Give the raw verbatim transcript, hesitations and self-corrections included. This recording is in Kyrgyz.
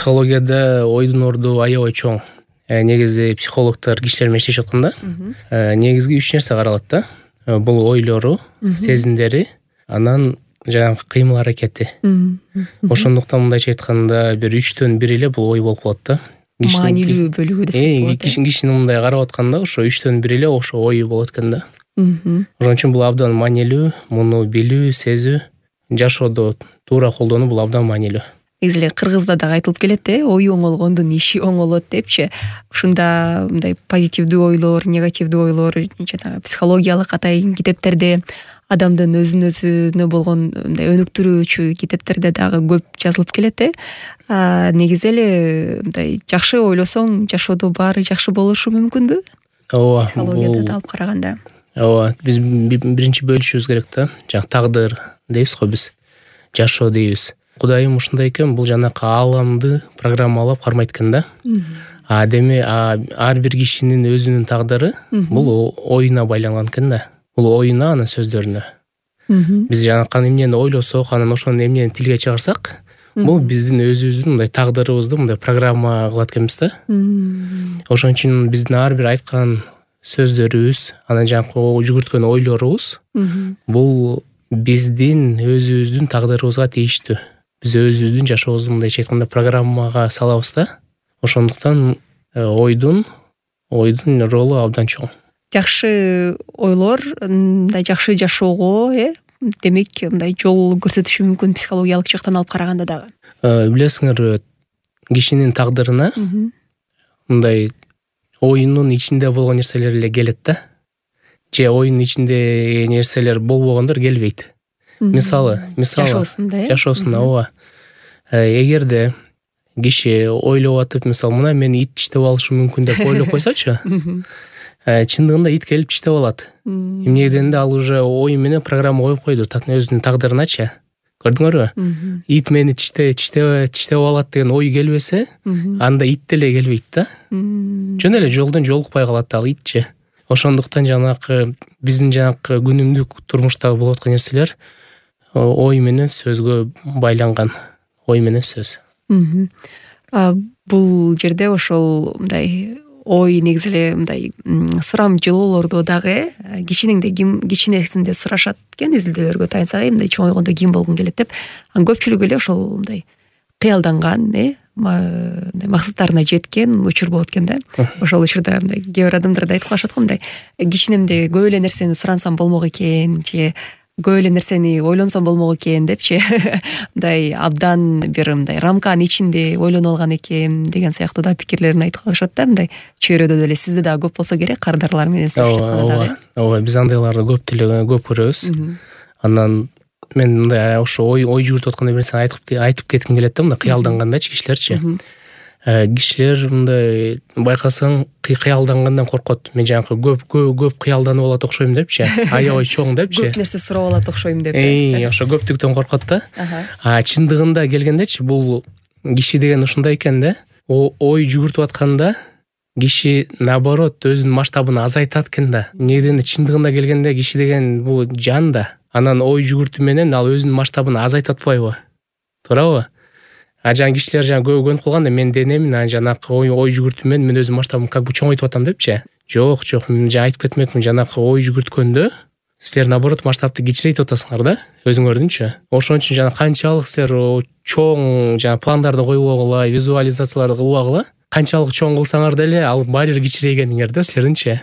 Психологияда ойдун орду аябай чоң. Негизи психологдор кишилер менен иштешип атканда негизги үч нерсе каралат да. Бул ойлору, сезимдери, анан жанагы кыймыл аракети. Ошондуктан мындайча айтканда бир үчтөн бири эле бул ой болуп калат да. Маанилүү бөлүгү десек болот. Кишини мындай карап атканда ошо үчтөн бири эле ошо ой болот экен да. Ошон үчүн бул абдан маанилүү, муну билүү, сезүү, жашоодо туура колдонуу бул абдан маанилүү. Негизи эле кыргызда дагы айтылып келет э, ой оңолгондун иши оңолот депчи. Ушунда мындай позитивдүү ойлор, негативдүү ойлор жанагы психологиялык атайын китептерде, адамдын өзүн өзүнө болгон мындай өнүктүрүүчү китептерде дагы көп жазылып келет э. Негизи эле мындай жакшы ойлосоң, жашоодо баары жакшы болушу мүмкүнбү? Ооба. Психологияда алып караганда. Ооба, биз биринчи бөлүшүбүз керек да. Жана тагдыр дейбиз го биз. Жашоо дейбиз. Кудайым ушундай экен, бул жанакы ааламды программалап кармайт экен да. А деме ар бир кишинин өзүнүн тагдыры бул оюна байланган экен да. Бул оюна, анын сөздөрүнө. Биз жанакы эмнени ойлосок, анан ошону эмнени тилге чыгарсак, бул биздин өзүбүздүн мындай тагдырыбызды мындай программа кылат экенбиз да. Ошон үчүн биздин ар бир айткан сөздөрүбүз, анан жанакы жүгүрткөн ойлорубуз бул биздин өзүбүздүн тагдырыбызга тийиштүү. Биз өзүбүздүн жашообузду мындайча айтканда программага салабыз да. Ошондуктан ойдун ойдун ролу абдан чоң. Жакшы ойлор мындай жакшы жашоого, э, демек мындай жол көрсөтүшү мүмкүн психологиялык жактан алып караганда дагы. Билесиңер, кишинин тагдырына мындай оюнун ичинде болгон нерселер эле келет да. Же оюнун ичинде нерселер болбогондор келбейт. Мисалы, мисалы жашоосунда, э? Жашоосунда, ооба. Эгерде киши ойлоп атып, мисалы, мына мени ит тиштеп алышы мүмкүн деп ойлоп койсочу, чындыгында ит келип тиштеп алат. Эмне дегенде ал уже ой менен программа коюп койду өзүнүн тагдырыначы. Көрдүңөрбү? Ит мени тиштеп тиштеп алат деген ой келбесе, анда ит деле келбейт да. Жөн эле жолдон жолукпай калат ал итчи. Ошондуктан жанакы биздин жанакы күнүмдүк турмушта болуп аткан нерселер ой менен сөзгө байланган. Ой менен сөз. Бул жерде ошол мындай ой негизи эле мындай сурам жылоолордо дагы кишинин де ким кичинесинде сурашат экен, изилдөөлөргө таянсак, мындай чоңойгондо ким болгуң келет деп. Анын көпчүлүгү эле ошол мындай кыялданган, э, максаттарына жеткен учур болот экен да. Ошол учурда мындай кээ бир адамдар да айтып калышат го, мындай кичинемде көп эле нерсени сурансам болмок экен, же көп эле нерсени ойлонсом болмок экен депчи. Мындай абдан бир мындай рамканын ичинде ойлонуп алган экен деген сыяктуу да пикирлерин айтып калышат да. Мындай чөйрөдө деле сизде дагы көп болсо керек, кардарлар менен сүйлөшүп атканда дагы. Ооба, биз андайларды көп деле көп көрөбүз. Анан мен мындай ошо ой ой жүгүртүп атканда бир нерсени айтып айтып кетким келет да, мындай кыялдангандачы кишилерчи. Кишилер мындай байкасаң кыялдангандан коркот. Мен жанакы көп көп көп кыялданып алат окшойм депчи. Аябай чоң депчи. Көп нерсе сурап алат окшойм деп. Эй, ошо көптүктөн коркот да. А чындыгында келгендечи бул киши деген ушундай экен да. Ой жүгүртүп атканда киши наоборот өзүнүн масштабын азайтат экен да. Эмнеден чындыгында келгенде киши деген бул жан да. Анан ой жүгүртүү менен ал өзүнүн масштабын азайтып атпайбы? Туурабы? А жан кишилер жана көнүп калганда мен денемин, анан жанакы ой ой жүгүртүү менен мен өзүмдүн масштабымды как бы чоңойтуп атам депчи. Жок, жок, мен жана айтып кетмекмин, жанакы ой жүгүрткөндө силер наоборот масштабты кичирейтип атасыңар да, өзүңөрдүнчү. Ошон үчүн жана канчалык силер чоң жана пландарды койбогула, визуализацияларды кылбагыла, канчалык чоң кылсаңар деле ал баары бир кичирейгениңер да силердинчи.